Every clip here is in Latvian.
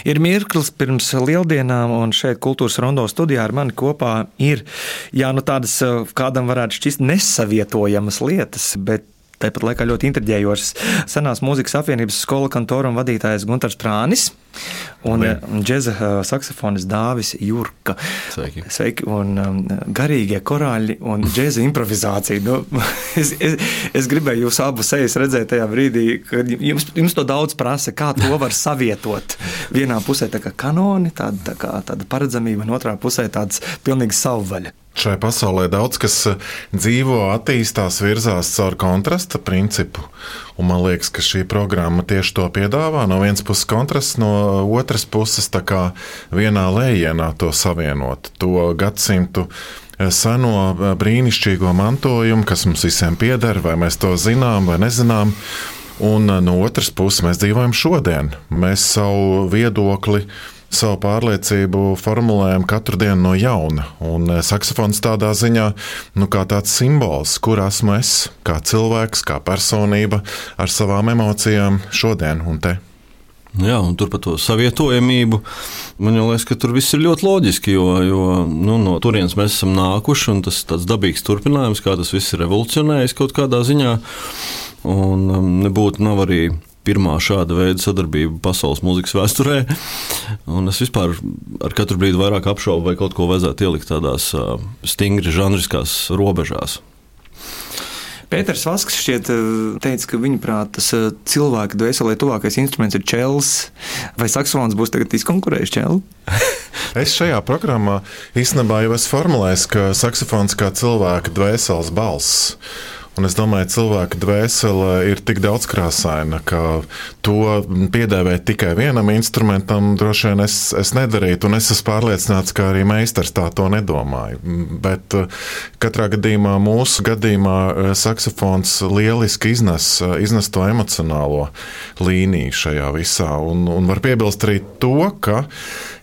Ir mirklis pirms lieldienām, un šeit Kultūras Rondo studijā ar mani kopā ir, tādas kādam varētu šķist nesavietojamas lietas, bet tāpat laikā ļoti intriģējošas. Senās mūzikas apvienības skola kantorum vadītājs Guntars Prānis un džeza saksofonis Dāvis Jurka. Sveiki. Un garīgie korāļi un džeza improvizācija. Es gribēju jūs abus sejas redzēt tajā brīdī, kad jums to daudz prasa, kā to var savietot. Vienā pusē tā kā kanoni, tāda paredzamība, un otrā pusē tāds pilnīgi savvaļa. Šai pasaulē daudz kas dzīvo, attīstās, virzās caur kontrasta principu. Un man liekas, ka šī programma tieši to piedāvā. No vienas puses kontrasts, no otras puses tā kā vienā lējienā to savienot. To gadsimtu seno brīnišķīgo mantojumu, kas mums visiem pieder, vai mēs to zinām vai nezinām. Un no otras puses mēs dzīvojam šodien. Mēs savu viedokli, savu pārliecību formulējam katru dienu no jauna. Un saksofons tādā ziņā, kā tāds simbols, kur esmu es, kā cilvēks, kā personība, ar savām emocijām šodien un te. Jā, un tur par to savietojamību, man liekas, ka tur viss ir ļoti loģiski, jo no turienes mēs esam nākuši, un tas tāds dabīgs turpinājums, kā tas viss ir revolucionējis kaut kādā ziņā, un nebūtu nav arī pirmā šāda veida sadarbība pasaules mūzikas vēsturē, un es vispār ar katru brīdi vairāk apšaubu, vai kaut ko vajadzētu ielikt tādās stingri žanriskās robežās. Pēters Vasks šķiet teica, ka viņuprāt tas cilvēka dvēselē tuvākais instruments ir čels, vai saksofons būs tagad izkonkurējis čelu? Es šajā programmā īstenībā jau esmu formulējis, ka saksofons kā cilvēka dvēseles balss. Un es domāju, cilvēka dvēsele ir tik daudzkrāsaina, ka to piedēvēt tikai vienam instrumentam droši vien es nedarītu, un es esmu pārliecināts, ka arī meistars tā to nedomāja. Bet katrā gadījumā, mūsu gadījumā, saksofons lieliski iznes to emocionālo līniju šajā visā. Un var piebilst arī to, ka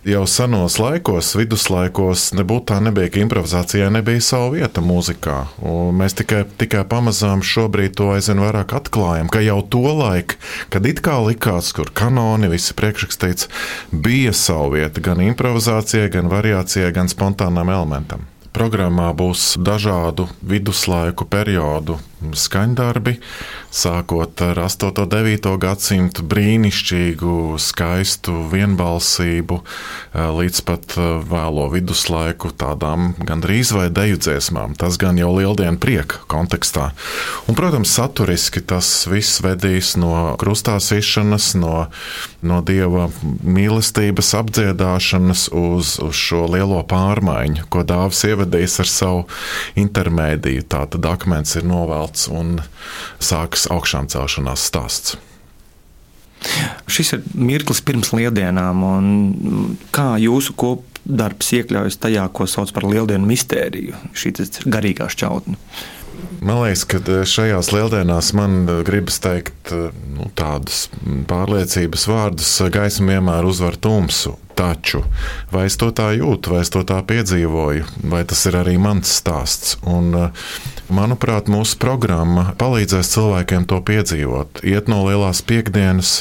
jau senos laikos, viduslaikos, nebūtu tā nebija, ka improvizācijai nebija savu vietu mūzikā. Un mēs tikai pamazām šobrīd to aizvien vairāk atklājam, ka jau to laiku, kad it kā likās, kur kanoni, visi priekšrakstīts, bija savu vietu gan improvizācijai, gan variācijai, gan spontānam elementam. Programmā būs dažādu viduslaiku periodu skaņdarbi, sākot ar 8. un 9. gadsimtu brīnišķīgu, skaistu vienbalsību, līdz pat vēlo viduslaiku tādām gandrīz vai deju dziesmām. Tas gan jau lieldienu prieka kontekstā. Un, protams, saturiski tas viss vedīs no krustā sišanas, no Dieva mīlestības apdziedāšanas uz šo lielo pārmaiņu, ko Dāvis ievedīs ar savu intermēdiju. Tātad akmens ir novelts un sākas augšām celšanās stāsts. Šis ir mirklis pirms lieldienām, un kā jūsu kopdarbs iekļaujas tajā, ko sauc par lieldienu mistēriju, šī garīgā šķautne? Man liekas, ka šajās lieldienās man gribas teikt tādus pārliecības vārdus: gaisma vienmēr uzvar tumsu. Taču, vai es to tā jūtu, vai es to tā piedzīvoju, vai tas ir arī mans stāsts? Un, manuprāt, mūsu programma palīdzēs cilvēkiem to piedzīvot. Iet no lielās piekdienas,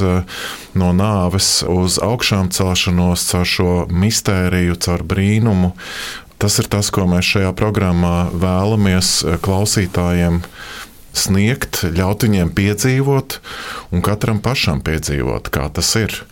no nāves uz augšām celšanos, caur šo mistēriju, caur brīnumu. Tas ir tas, ko mēs šajā programmā vēlamies klausītājiem sniegt, ļaut viņiem piedzīvot un katram pašam piedzīvot, kā tas ir.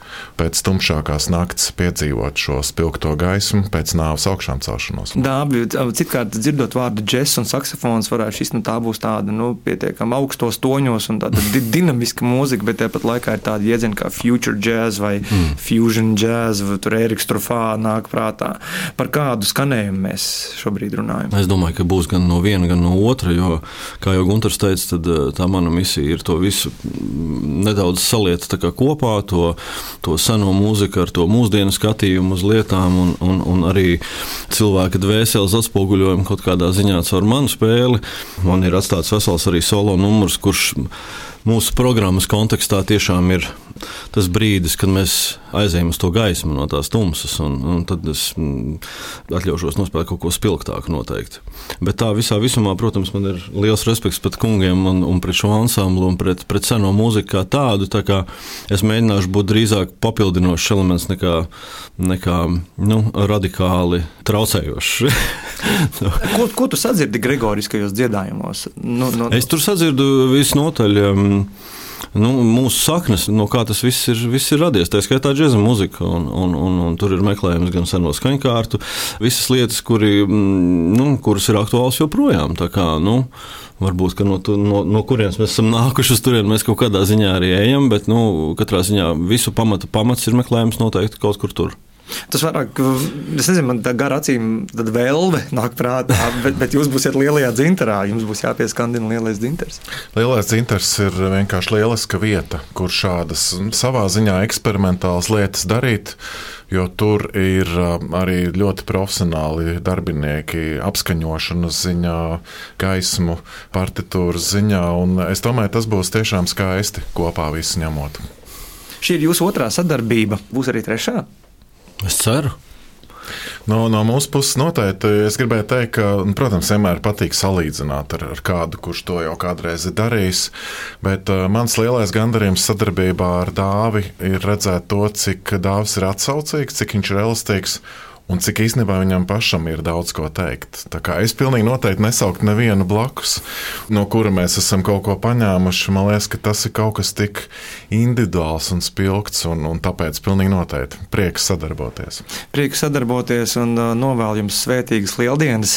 Pēc tumšākās nakts piedzīvot šo spilgto gaismu, pēc nāves augšām celšanos. Dābi, citkārt dzirdot vārdu džess un saksofons, varētu šis, tā būs tāda, pietiekami augstos toņos un tāda dinamiska mūzika, bet tāpat laikā ir tāda jēdziena kā future jazz vai fusion jazz, vai tur Eriks Trufā nāk prātā. Par kādu skanējumu mēs šobrīd runājam? Es domāju, ka būs gan no viena, gan no otra, jo, kā jau Guntars teica, tad tā mana misija ir to visu nedaudz saliet tā kā kopā, to seno mūziku ar to mūsdienu skatījumu uz lietām un arī cilvēka dvēseles atspoguļojumu kaut kādā ziņā caur manu spēli. Man ir atstāts vesels arī solo numurs, kurš mūsu programmas kontekstā tiešām ir tas brīdis, kad mēs aizējam uz to gaismu no tās tumsas, un tad es atļaušos nospēlēt kaut ko spilgtāku noteikti. Bet tā visumā, protams, man ir liels respekts pret kungiem un pret šo ansamblu un pret seno mūziku kā tādu, tā kā es mēģināšu būt drīzāk papildinošs elements nekā radikāli traucējošs. Ko tu sadzirdi gregoriskajos dziedājumos? Es tur sadzirdu visnotaļ mūsu saknes, no kā tas viss ir radies. Tā skaitā džeza muzika, un tur ir meklējums gan seno skaņkārtu, visas lietas, kuras ir aktuāls joprojām. Tā kā, varbūt, ka no kurienes mēs esam nākuši uz turieni, mēs kaut kādā ziņā arī ejam, bet katrā ziņā visu pamats ir meklējums noteikti kaut kur tur. Tas vairāk, es nezinu, man tā gar acīm tad vēlve nāk prātā, bet jūs būsiet lielajā dzintarā, jums būs jāpieskandina lielais dzintars. Lielais dzintars ir vienkārši lieliska vieta, kur šādas savā ziņā eksperimentālas lietas darīt, jo tur ir arī ļoti profesionāli darbinieki apskaņošanas ziņā, gaismu, partitūras ziņā, un es domāju, tas būs tiešām skaisti kopā visu ņemot. Šī ir jūsu otrā sadarbība, būs arī trešā? Es ceru. No mūsu puses noteikti es gribēju teikt, ka, protams, vienmēr patīk salīdzināt ar kādu, kurš to jau kādreiz ir darījis, bet mans lielais gandarījums sadarbībā ar Dāvi ir redzēt to, cik Dāvis ir atsaucīgs, cik viņš ir elastīgs un cik īstenībā viņam pašam ir daudz ko teikt. Tā kā es pilnīgi noteikti nesauktu nevienu blakus, no kura mēs esam kaut ko paņēmuši. Man liekas, ka tas ir kaut kas tik individuāls un spilgts, un tāpēc pilnīgi noteikti prieks sadarboties. Prieks sadarboties un novēl jums svētīgas lieldienas,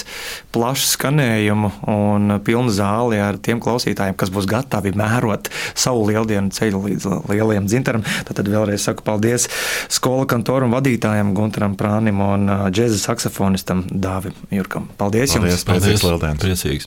plašu skanējumu un pilnu zāli ar tiem klausītājiem, kas būs gatavi mērot savu lieldienu ceļu līdz lielajam dzintaram. Tad vēlreiz saku paldies skolu kantoram vadītājam Guntaram Prānim un džeza saksofonistam Dāvim Jurkam. Paldies jums! Paldies, priecīgs lieldienas! Priecīgs!